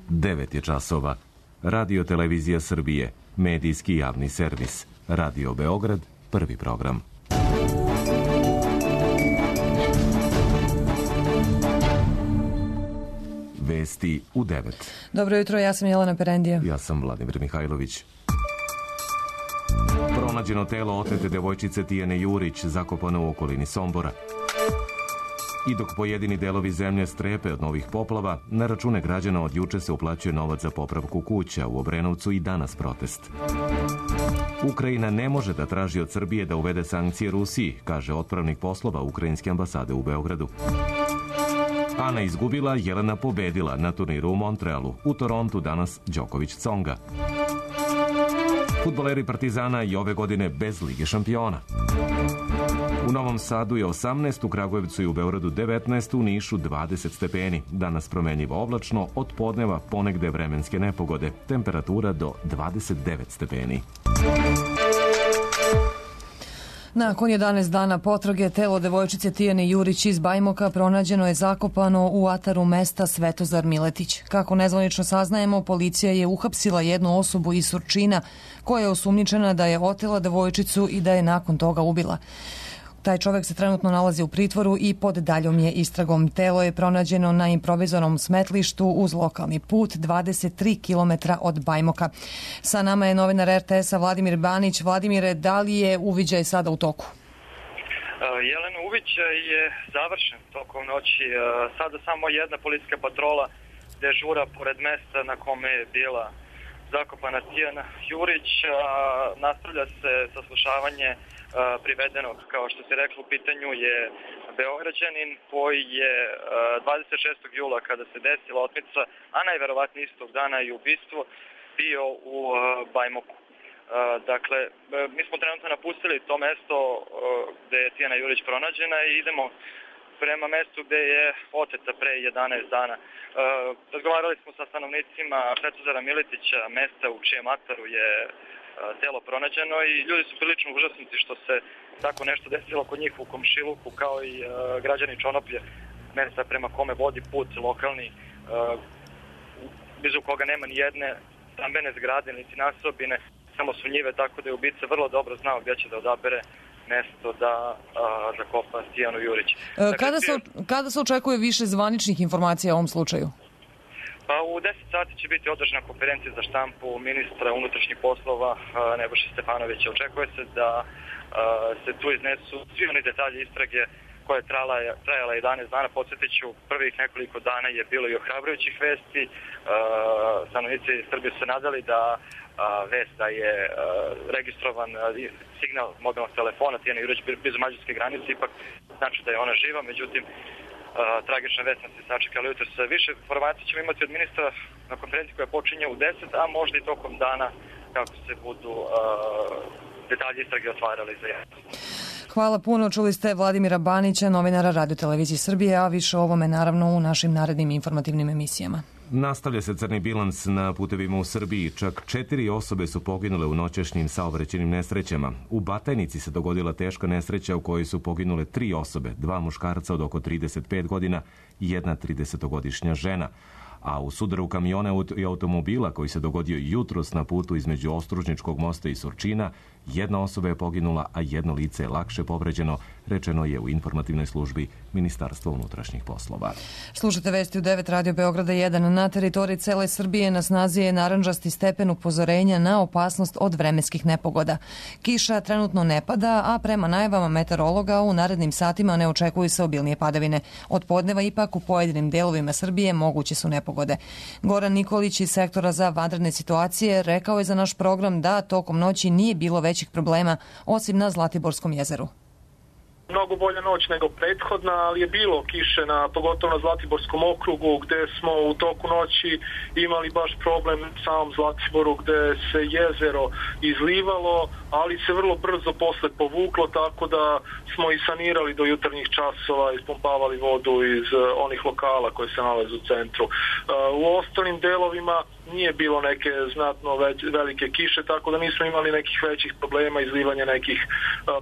9 je časova. Radio Televizija Srbije, medijski javni servis. Radio Beograd, prvi program. Vesti u 9. Dobro jutro, ja sam Jelena Perendija. Ja sam Vladimir Mihajlović. Pronađeno telo otete devojčice Tijane Jurić, zakopano u okolini Sombora. I dok pojedini delovi zemlje strepe od novih poplava, na račune građana od juče se uplaćuje novac za popravku kuća. U Obrenovcu i danas protest. Ukrajina ne može da traži od Srbije da uvede sankcije Rusiji, kaže otpravnik poslova Ukrajinske ambasade u Beogradu. Ana izgubila, Jelena pobedila na turniru u Montrealu. U Torontu danas Đoković Tsonga. Fudbaleri Partizana i ove godine bez Lige šampiona. U Novom Sadu je 18, u Kragujevcu i u Beogradu 19, u Nišu 20 stepeni. Danas promenljivo oblačno, od podneva ponegde vremenske nepogode. Temperatura do 29 stepeni. Nakon 11 dana potrage, telo devojčice Tijane Jurić iz Bajmoka pronađeno je zakopano u ataru mesta Svetozar Miletić. Kako nezvanično saznajemo, policija je uhapsila jednu osobu iz Surčina koja je osumnjičena da je otela devojčicu i da je nakon toga ubila. Taj čovjek se trenutno nalazi u pritvoru i pod daljom je istragom. Telo je pronađeno na improvizovanom smetlištu uz lokalni put 23 km od Bajmoka. Sa nama je novinar RTS-a Vladimir Banić. Vladimire, da li je uviđaj sada u toku? Jelena, uviđaj je završen tokom noći. Sada samo jedna policijska patrola dežura pored mesta na kome je bila zakopana Tijana Jurić. Nastavlja se saslušavanje privedenog, kao što se reklo, u pitanju je Beograđanin koji je 26. jula kada se desila otmica, a najverovatnije istog dana i ubistvo, bio u Bajmoku. Dakle, mi smo trenutno napustili to mesto gde je Tijana Jurić pronađena i idemo prema mestu gde je oteta pre 11 dana. Razgovarali smo sa stanovnicima Svetozara Miletića, mesta u čijem ataru je telo pronađeno, i ljudi su prilično užasnuti što se tako nešto desilo kod njih u komšiluku, kao i građani Čonoplje, mesta prema kome vodi put lokalni, blizu koga nema ni jedne stambene zgrade niti nasobine, samo su njive, tako da je ubica vrlo dobro znao gdje će da odabere mesto da zakopa Tijanu Jurić. Kada se očekuje više zvaničnih informacija o ovom slučaju? Pa u 10 sati će biti održana konferencija za štampu ministra unutrašnjih poslova Nebojše Stefanovića. Očekuje se da se tu iznesu svi oni detalji istrage koja je trajala 11 dana. Podsjetit ću, prvih nekoliko dana je bilo i ohrabrujućih vesti. Stanovnici Srbije su se nadali da vest da je registrovan signal mobilnog telefona Tijana Jurić blizu mađarske granice ipak znači da je ona živa, međutim tragična vest nas je sačekala jutros. Više informacija ćemo imati od ministra na konferenciji koja počinje u 10, a možda i tokom dana kako se budu detalji istrage otvarali za javnost. Hvala puno. Čuli ste Vladimira Banića, novinara Radio Televizije Srbije, a više o ovome naravno u našim narednim informativnim emisijama. Nastavlja se crni bilans na putevima u Srbiji. Čak 4 osobe su poginule u noćašnjim saobraćajnim nesrećama. U Batajnici se dogodila teška nesreća u kojoj su poginule 3 osobe, 2 muškarca od oko 35 godina i jedna 30-godišnja žena. A u sudaru kamiona i automobila koji se dogodio jutros na putu između Ostružničkog mosta i Surčina, jedna osoba je poginula, a jedno lice je lakše povređeno, rečeno je u informativnoj službi Ministarstva unutrašnjih poslova. Slušate vesti u 9 Radio Beograda 1. Na teritoriji cele Srbije na snazi je narandžasti stepen upozorenja na opasnost od vremenskih nepogoda. Kiša trenutno ne pada, a prema najavama meteorologa u narednim satima ne očekuju se obilnije padavine. Od podneva ipak u pojedinim delovima Srbije moguće su nepogode. Goran Nikolić iz sektora za vanredne situacije rekao je za naš program da tokom noći nije bilo većih problema, osim na Zlatiborskom jezeru. Mnogo bolja noć nego prethodna, ali je bilo kiše, pogotovo na Zlatiborskom okrugu, gde smo u toku noći imali baš problem u samom Zlatiboru, gde se jezero izlivalo, ali se vrlo brzo posle povuklo, tako da smo i sanirali do jutarnjih časova, ispumpavali vodu iz onih lokala koji se nalaze u centru. U ostalim delovima nije bilo neke znatno velike kiše, tako da nismo imali nekih većih problema, izlivanja nekih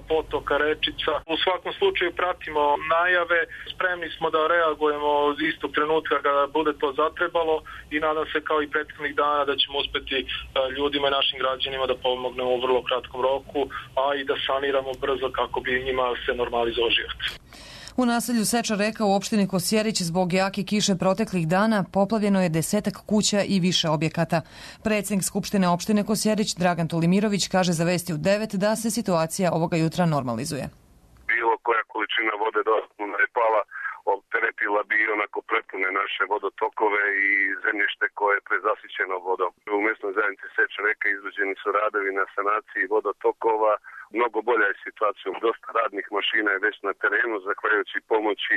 potoka, rečica. U svakom slučaju pratimo najave, spremni smo da reagujemo od istog trenutka kada bude to zatrebalo i nadam se kao i prethodnih dana da ćemo uspeti ljudima i našim građanima da pomognemo u vrlo kratkom roku, a i da saniramo brzo kako bi njima se normalizovao život. U naselju Seča reka u opštini Kosjerić zbog jake kiše proteklih dana poplavljeno je 10 kuća i više objekata. Predsjednik Skupštine opštine Kosjerić Dragan Tolimirović kaže za Vesti u 9 da se situacija ovoga jutra normalizuje. Bilo koja količina vode dodatno je pala, opteretila bi onako prepune naše vodotokove i zemljište koje je prezasićeno vodom. U mjesnoj zajednici Seča reka izvođeni su radovi na sanaciji vodotokova. Mnogo bolja je situacija, dosta radnih mašina je već na terenu, zahvaljujući pomoći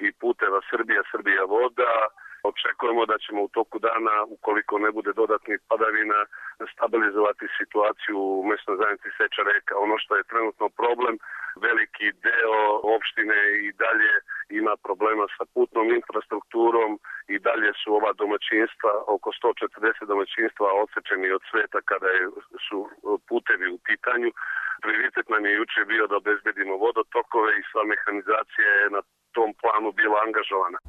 i puteva Srbija voda. Očekujemo da ćemo u toku dana, ukoliko ne bude dodatnih padavina, stabilizovati situaciju u mjesnoj zajednici Seča reka. Ono što je trenutno problem, veliki deo opštine i dalje ima problema sa putnom infrastrukturom i dalje su ova domaćinstva, oko 140 domaćinstva odsečeni od sveta kada su putevi u pitanju. Prioritet nam je juče bio da obezbedimo vodotokove i sva mehanizacija je na tom planu bila angažovana.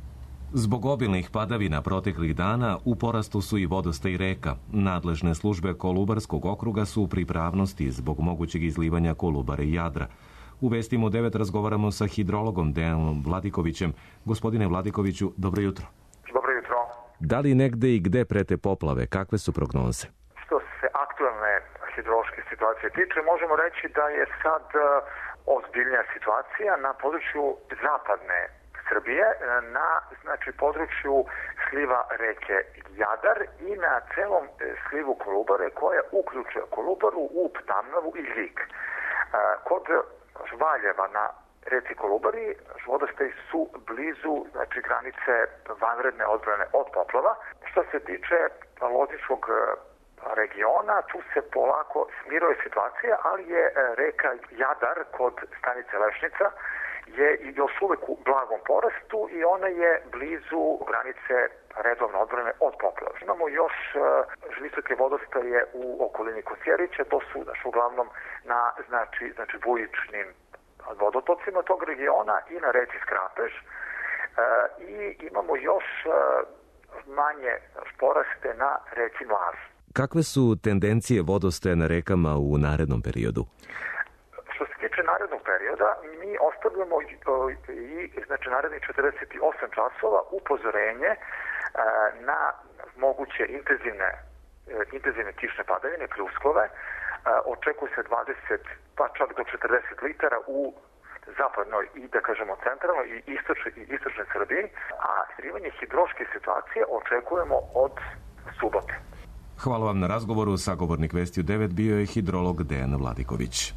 Zbog obilnih padavina proteklih dana u porastu su i vodostaj reka. Nadležne službe Kolubarskog okruga su u pripravnosti zbog mogućeg izlivanja Kolubare i Jadra. U Vestima u 9 razgovaramo sa hidrologom Dejanom Vladikovićem. Gospodine Vladikoviću, dobro jutro. Dobro jutro. Da li negde i gde prete poplave? Kakve su prognoze? Što se aktualne hidrološke situacije tiče, možemo reći da je sad ozbiljnija situacija na području zapadne Srbije, na području sliva reke Jadar i na celom slivu Kolubare koja uključuje Kolubaru, Ub, Tamnavu i Ljig. Kod Valjeva na reci Kolubari vodostaji su blizu granice vanredne odbrane od poplava. Što se tiče Lozničkog regiona, tu se polako smiruje situacija, ali je reka Jadar kod stanice Lešnica je još uvek u blagom porastu i ona je blizu granice redovne odbrane od poplava. Imamo još visoke vodostaje u okolini Kosjerića, to su uglavnom na bujičnim vodotocima tog regiona i na reci Skrapež i imamo još manje poraste na reci Mlaz. Kakve su tendencije vodostaja na rekama u narednom periodu? Što se tiče narednog perioda, mi ostavljamo i narednih 48 časova upozorenje na moguće intenzivne kišne padavine, pljuskove. Očekuje se 20 pa čak do 40 litara u zapadnoj i centralnoj i istočnoj Srbiji, a smirivanje hidrološke situacije očekujemo od subote. Hvala vam na razgovoru. Sagovornik Vesti u 9 bio je hidrolog Dejan Vladiković.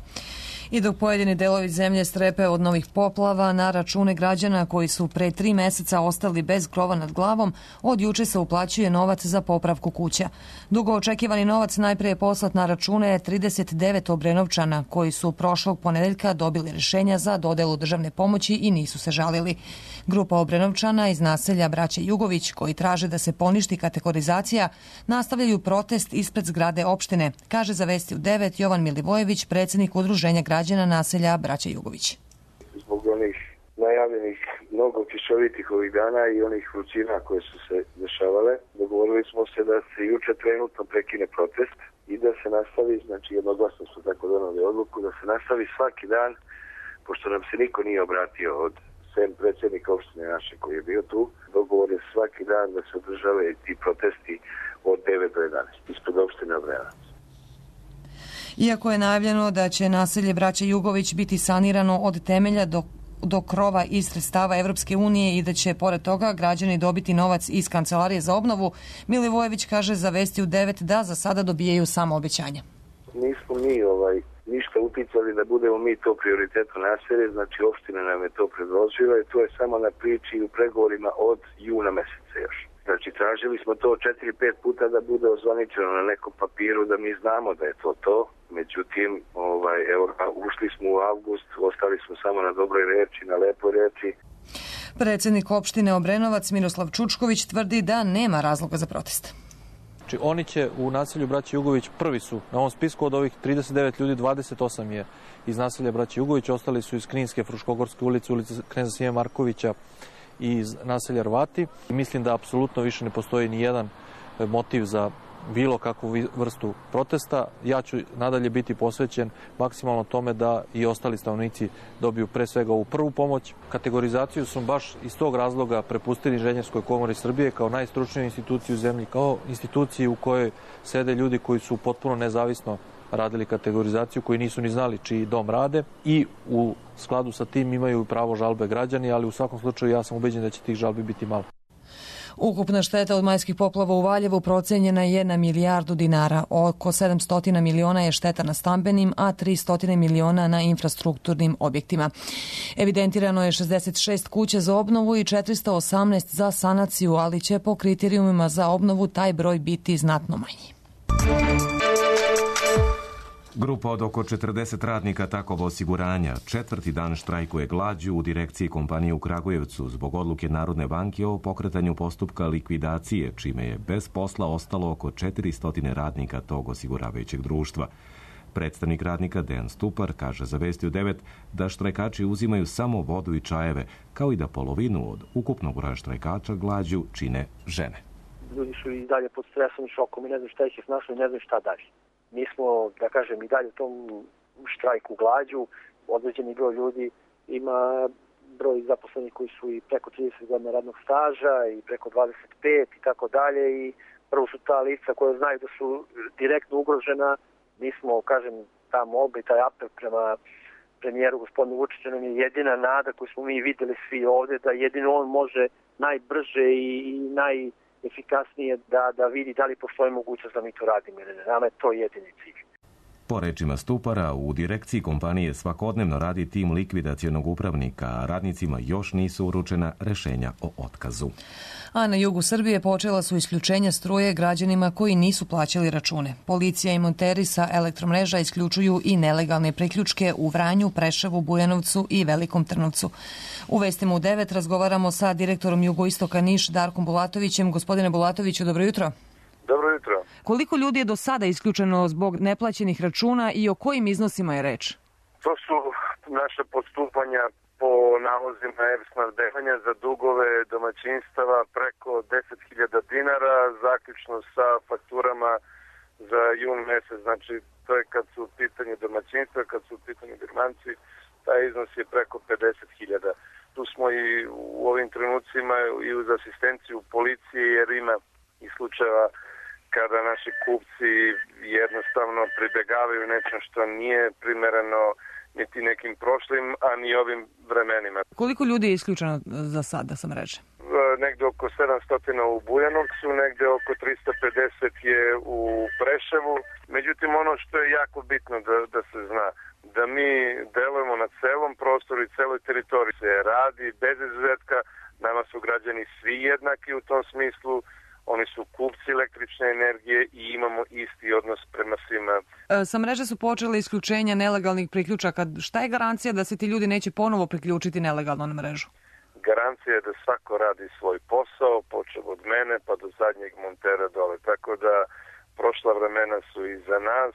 I dok pojedini delovi zemlje strepe od novih poplava, na račune građana koji su pre 3 meseca ostali bez krova nad glavom, od juče se uplaćuje novac za popravku kuća. Dugo očekivani novac najpre je poslat na račune 39 Obrenovčana koji su prošlog ponedeljka dobili rješenja za dodelu državne pomoći i nisu se žalili. Grupa Obrenovčana iz naselja Braće Jugović, koji traže da se poništi kategorizacija, nastavljaju protest ispred zgrade opštine, kaže za Vesti u 9 Jovan Milivojević, predsjednik Udruženja građana naselja Braće Jugović. Zbog onih najavljenih mnogo kišovitih ovih dana i onih vrućina koje su se dešavale, dogovorili smo se da se juče trenutno prekine protest i da se nastavi, jednoglasno su tako donali odluku, da se nastavi svaki dan, pošto nam se niko nije obratio od sem predsjednika opštine naše koji je bio tu, dogovor je svaki dan da se održave ti protesti od 9 do 11 ispred opštine Obrenovac. Iako je najavljeno da će naselje Braće Jugović biti sanirano od temelja do krova iz sredstava Evropske unije i da će pored toga građani dobiti novac iz Kancelarije za obnovu, Milivojević kaže za Vesti u 9 da za sada dobijaju samo obećanja. Nismo mi ništa uticali da budemo mi to prioritetno naselje, opština nam je to predložila i to je samo na priči i u pregovorima od juna meseca još. Tražili smo to 4-5 puta da bude ozvaničeno na nekom papiru da mi znamo da je to. Međutim, ušli smo u avgust, ostali smo samo na dobroj reči, na lepoj reči. Predsjednik opštine Obrenovac Miroslav Čučković tvrdi da nema razloga za protest. Znači, oni će u naselju Braće Jugović prvi su na ovom spisku od ovih 39 ljudi, 28 je iz naselja Braće Jugović, ostali su iz Kninske, Fruškogorske ulice, ulice Kneza Sime Markovića i iz naselja Rvati. Mislim da apsolutno više ne postoji ni jedan motiv za bilo kakvu vrstu protesta. Ja ću nadalje biti posvećen maksimalno tome da i ostali stanovnici dobiju pre svega ovu prvu pomoć. Kategorizaciju su baš iz tog razloga prepustili Inženjerskoj komori Srbije kao najstručniju instituciju u zemlji, kao instituciji u kojoj sede ljudi koji su potpuno nezavisno radili kategorizaciju, koji nisu ni znali čiji dom rade i u skladu sa tim imaju pravo žalbe građani, ali u svakom slučaju ja sam ubeđen da će tih žalbi biti malo. Ukupna šteta od majskih poplava u Valjevu procenjena je na milijardu dinara. Oko 700 miliona je šteta na stambenim, a 300 miliona na infrastrukturnim objektima. Evidentirano je 66 kuća za obnovu i 418 za sanaciju, ali će po kriterijumima za obnovu taj broj biti znatno manji. Grupa od oko 40 radnika Takovo osiguranja 4. dan štrajkuje glađu u direkciji kompanije u Kragujevcu zbog odluke Narodne banke o pokretanju postupka likvidacije, čime je bez posla ostalo oko 400 radnika tog osiguravajućeg društva. Predstavnik radnika Dejan Stupar kaže za Vesti u 9 da štrajkači uzimaju samo vodu i čajeve, kao i da polovinu od ukupnog broja štrajkača glađu čine žene. Ljudi su i dalje pod stresom i šokom i ne znam šta ih je snašlo i ne znam šta dalje. Mi smo, da kažem, i dalje u tom štrajku glađu. Određeni broj ljudi ima broj zaposlenih koji su i preko 30 godina radnog staža i preko 25 i tako dalje. I prvo su ta lica koja znaju da su direktno ugrožena. Mi smo, kažem, ta molba i taj apel prema premijeru gospodinu Vučiću nam je jedina nada koju smo mi videli svi ovde, da jedino on može najbrže i najefikasnije da vidi da li postoji mogućnost da mi to radimo ili ne. Nama je to jedini cilj. Po rečima Stupara, u direkciji kompanije svakodnevno radi tim likvidacionog upravnika, a radnicima još nisu uručena rešenja o otkazu. A na jugu Srbije počela su isključenja struje građanima koji nisu plaćali račune. Policija i monteri sa elektromreža isključuju i nelegalne priključke u Vranju, Preševu, Bujanovcu i Velikom Trnovcu. U Vestima u 9 razgovaramo sa direktorom Jugoistoka Niš Darkom Bulatovićem. Gospodine Bulatoviću, dobro jutro. Dobro jutro. Koliko ljudi je do sada isključeno zbog neplaćenih računa i o kojim iznosima je reč? To su naše postupanja po nalozima e-snabdevanja za dugove domaćinstava preko 10.000 dinara, zaključno sa fakturama za jun mesec. Znači, to je kad su u pitanju domaćinstva, kad su u pitanju birmanci, taj iznos je preko 50.000. Tu smo i u ovim trenucima i uz asistenciju policije, jer ima i slučajeva kada naši kupci jednostavno pribegavaju nečem što nije primereno niti nekim prošlim, a ni ovim vremenima. Koliko ljudi je isključeno za sada sa mreže? Negde oko 700 u Bujanovcu, negde oko 350 je u Preševu. Međutim, ono što je jako bitno da se zna, da mi delujemo na celom prostoru i celoj teritoriji. Se radi bez izuzetka, nama su građani svi jednaki u tom smislu. Oni su kupci električne energije i imamo isti odnos prema svima. Sa mreže su počele isključenja nelegalnih priključaka. Šta je garancija da se ti ljudi neće ponovo priključiti nelegalno na mrežu? Garancija je da svako radi svoj posao, počeo od mene pa do zadnjeg montera dole. Tako da prošla vremena su iza nas.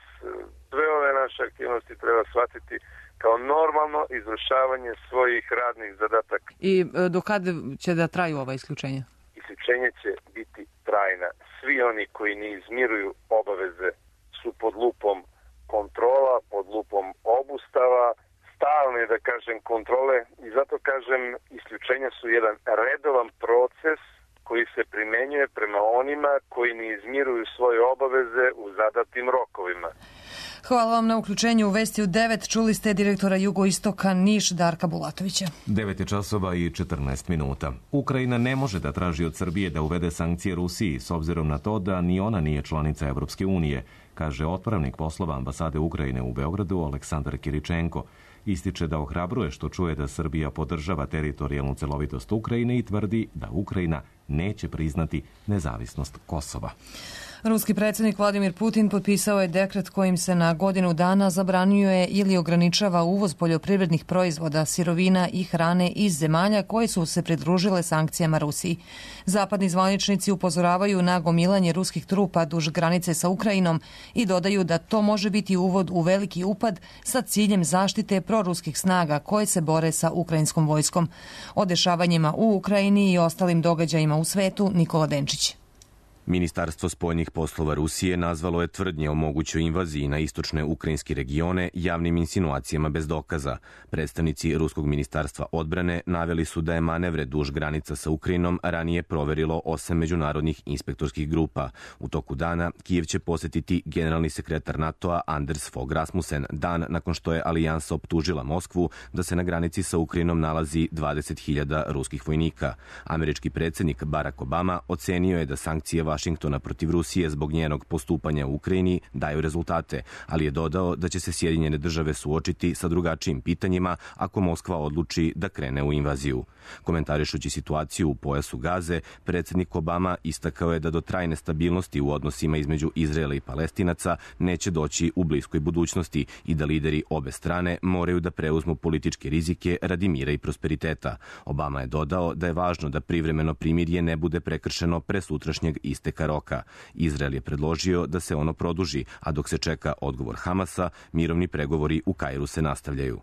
Sve ove naše aktivnosti treba shvatiti kao normalno izvršavanje svojih radnih zadataka. I do kada će da traju ova isključenja? Isključenje će biti trajna. Svi oni koji ne izmiruju obaveze su pod lupom kontrola, pod lupom obustava, stalne, da kažem, kontrole i zato kažem, isključenja su jedan redovan proces koji se primenjuje prema onima koji ne izmiruju svoje obaveze u zadatim rokovima. Hvala vam na uključenju u Vesti u 9. Čuli ste direktora Jugoistoka Niš Darka Bulatovića. 9 časova i 14 minuta. Ukrajina ne može da traži od Srbije da uvede sankcije Rusiji s obzirom na to da ni ona nije članica Evropske unije, kaže otpravnik poslova ambasade Ukrajine u Beogradu Aleksandar Kiričenko. Ističe da ohrabruje što čuje da Srbija podržava teritorijalnu celovitost Ukrajine i tvrdi da Ukrajina neće priznati nezavisnost Kosova. Ruski predsjednik Vladimir Putin potpisao je dekret kojim se na godinu dana zabranjuje ili ograničava uvoz poljoprivrednih proizvoda, sirovina i hrane iz zemalja koje su se pridružile sankcijama Rusiji. Zapadni zvaničnici upozoravaju na gomilanje ruskih trupa duž granice sa Ukrajinom i dodaju da to može biti uvod u veliki upad sa ciljem zaštite proruskih snaga koje se bore sa ukrajinskom vojskom. O dešavanjima u Ukrajini i ostalim događajima u svetu Nikola Denčić. Ministarstvo spoljnih poslova Rusije nazvalo je tvrdnje o mogućoj invaziji na istočne ukrajinske regione javnim insinuacijama bez dokaza. Predstavnici Ruskog ministarstva odbrane naveli su da je manevre duž granica sa Ukrajinom ranije proverilo 8 međunarodnih inspektorskih grupa. U toku dana Kijev će posetiti generalni sekretar NATO-a Anders Fogh Rasmussen, dan nakon što je alijansa optužila Moskvu da se na granici sa Ukrajinom nalazi 20.000 ruskih vojnika. Američki predsjednik Barack Obama ocenio je da sankcije Vašingtona protiv Rusije zbog njenog postupanja u Ukrajini daju rezultate, ali je dodao da će se Sjedinjene države suočiti sa drugačijim pitanjima ako Moskva odluči da krene u invaziju. Komentarišući situaciju u pojasu Gaze, predsjednik Obama istakao je da do trajne stabilnosti u odnosima između Izraela i Palestinaca neće doći u bliskoj budućnosti i da lideri obe strane moraju da preuzmu političke rizike radi mira i prosperiteta. Obama je dodao da je važno da privremeno primirje ne bude prekršeno pre sutrašnjeg isteka roka. Izrael je predložio da se ono produži, a dok se čeka odgovor Hamasa, mirovni pregovori u Kairu se nastavljaju.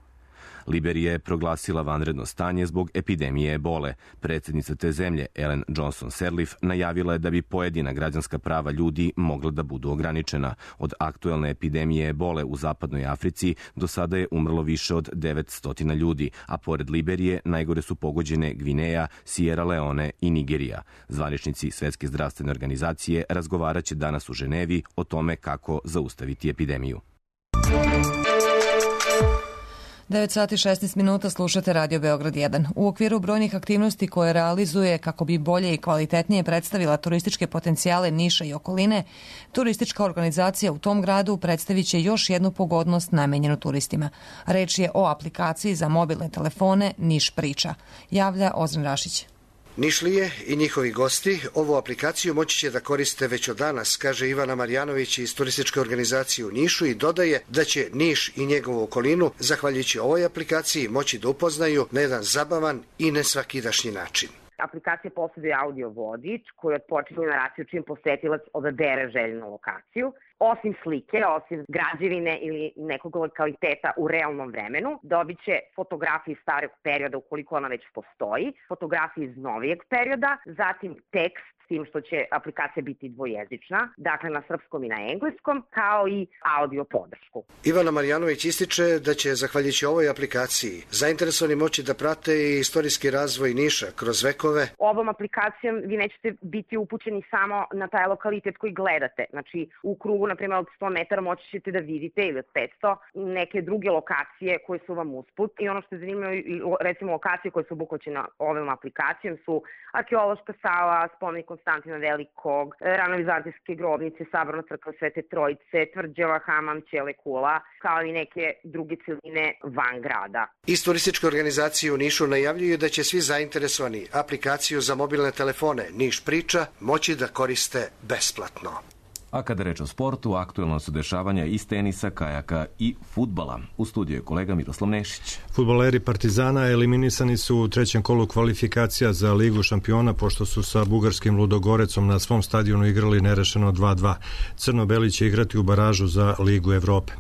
Liberija je proglasila vanredno stanje zbog epidemije ebole. Predsjednica te zemlje, Ellen Johnson Sirleaf, najavila je da bi pojedina građanska prava ljudi mogla da budu ograničena. Od aktuelne epidemije ebole u zapadnoj Africi do sada je umrlo više od 900 ljudi, a pored Liberije najgore su pogođene Gvineja, Sierra Leone i Nigerija. Zvaničnici Svetske zdravstvene organizacije razgovaraće danas u Ženevi o tome kako zaustaviti epidemiju. 9 sati 16 minuta slušate Radio Beograd 1. U okviru brojnih aktivnosti koje realizuje kako bi bolje i kvalitetnije predstavila turističke potencijale Niša i okoline, turistička organizacija u tom gradu predstavit će još jednu pogodnost namenjenu turistima. Reč je o aplikaciji za mobilne telefone Niš priča. Javlja Ozren Rašić. Nišlije i njihovi gosti ovu aplikaciju moći će da koriste već od danas, kaže Ivana Marjanović iz turističke organizacije u Nišu i dodaje da će Niš i njegovu okolinu, zahvaljujući ovoj aplikaciji, moći da upoznaju na jedan zabavan i nesvakidašnji način. Aplikacija posjeduje audio vodič koji otpočinje naraciju čim posetilac odabere željenu lokaciju. Osim slike, osim građevine ili nekog lokaliteta u realnom vremenu, dobit će fotografije iz starog perioda ukoliko ona već postoji, fotografije iz novijeg perioda, zatim tekst, s tim što će aplikacija biti dvojezična, dakle na srpskom i na engleskom, kao i audio podršku. Ivana Marjanović ističe da će, zahvaljujući ovoj aplikaciji, zainteresovani moći da prate i istorijski razvoj Niša kroz vekove. Ovom aplikacijom vi nećete biti upućeni samo na taj lokalitet koji gledate. Znači, u krugu, na primjer, od 100 metara moći ćete da vidite ili od 500 neke druge lokacije koje su vam usput. I ono što je zanimljivo, recimo lokacije koje su obuhvaćene ovom aplikacijom su arheološka sala, spomenik Konstantina Velikog, ranovizantijske grobnice, saborna crkva Svete Trojice, tvrđava, hamam, Ćele Kula, kao i neke druge celine van grada. Iz turističke organizacije u Nišu najavljuju da će svi zainteresovani aplikaciju za mobilne telefone Niš priča moći da koriste besplatno. A kada reč o sportu, aktuelno su dešavanja iz tenisa, kajaka i fudbala. U studiju je kolega Miroslav Nešić. Fudbaleri Partizana eliminisani su u trećem kolu kvalifikacija za Ligu šampiona pošto su sa bugarskim Ludogorecom na svom stadionu igrali nerešeno 2-2. Crno-beli će igrati u baražu za Ligu Evrope.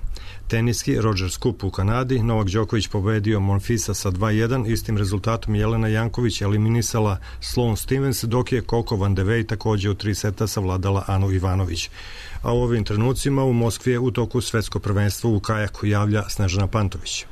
Teniski, Rogers Cup u Kanadi, Novak Đoković pobedio Monfisa sa 2-1, istim rezultatom Jelena Janković eliminisala Sloane Stevens, dok je Coco Van de Wey takođe u 3 seta savladala Anu Ivanović. A u ovim trenucima u Moskvi je u toku svetsko prvenstvo u kajaku, javlja Snežana Pantović.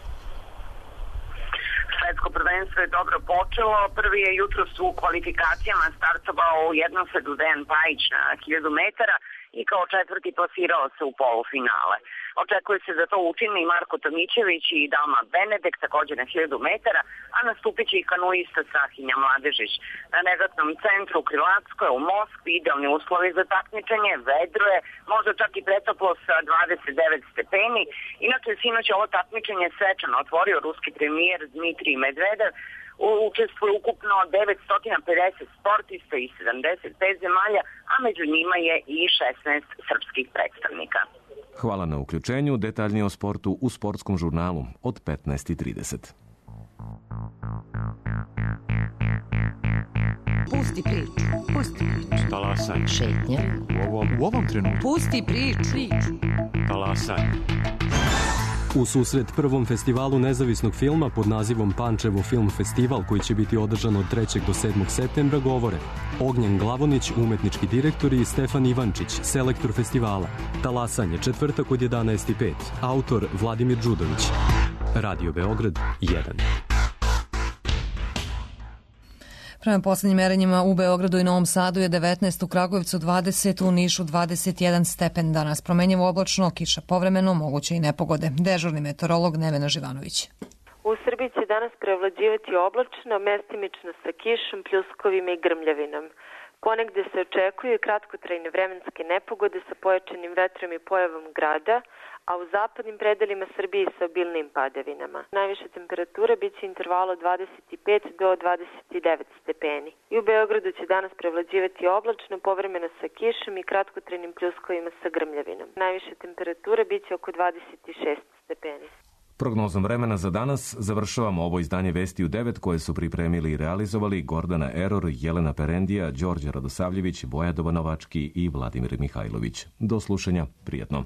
Svetsko prvenstvo je dobro počelo. Prvi je jutros u kvalifikacijama startovao u jednosedu Dejan Pajić na 1000 metara i kao četvrti plasirao se u polufinale. Očekuje se da to učini i Marko Tomićević i Dalma Benedek, također na 1000 metara, a nastupit će i kanuista Sahinja Mladežić. Na negatnom centru u Krilatskoj u Moskvi idealni uslovi za takmičenje, vedro je, možda čak i pretoplo sa 29 stepeni. Inače, sinoć ovo takmičenje svečano otvorio ruski premijer Dmitrij Medvedev, učestvuje ukupno 950 sportista iz 75 zemalja, a među njima je i 16 srpskih predstavnika. Hvala na uključenju. Detaljnije o sportu u sportskom žurnalu od 15:30. Pusti priču. Pusti priču. Talasaj. Šetnja. U ovom trenutku. Pusti priču. Talasaj. U susret prvom festivalu nezavisnog filma pod nazivom Pančevo film festival, koji će biti održan od 3. do 7. septembra, govore Ognjen Glavonić, umetnički direktor, i Stefan Ivančić, selektor festivala. Talasanje, četvrtak od 11:05. Autor Vladimir Đudović. Radio Beograd 1. Prema poslednjim merenjima u Beogradu i Novom Sadu je 19, u Kragujevcu 20, u Nišu 21 stepen. Danas promenjivo oblačno, kiša povremeno, moguće i nepogode. Dežurni meteorolog Nevena Živanović. U Srbiji će danas prevlađivati oblačno, mestimično sa kišom, pljuskovima i grmljavinom. Ponegde se očekuju kratkotrajne vremenske nepogode sa pojačanim vetrom i pojavom grada, a u zapadnim predelima Srbije sa obilnim padavinama. Najviša temperatura biće intervalo 25 do 29 stepeni. I u Beogradu će danas prevlađivati oblačno, povremeno sa kišom i kratkotrajnim pljuskovima sa grmljavinom. Najviša temperatura biće oko 26 stepeni. Prognozom vremena za danas završavamo ovo izdanje Vesti u 9 koje su pripremili i realizovali Gordana Eror, Jelena Perendija, Đorđe Radosavljević, Boja Dobanovački i Vladimir Mihajlović. Do slušanja, prijetno.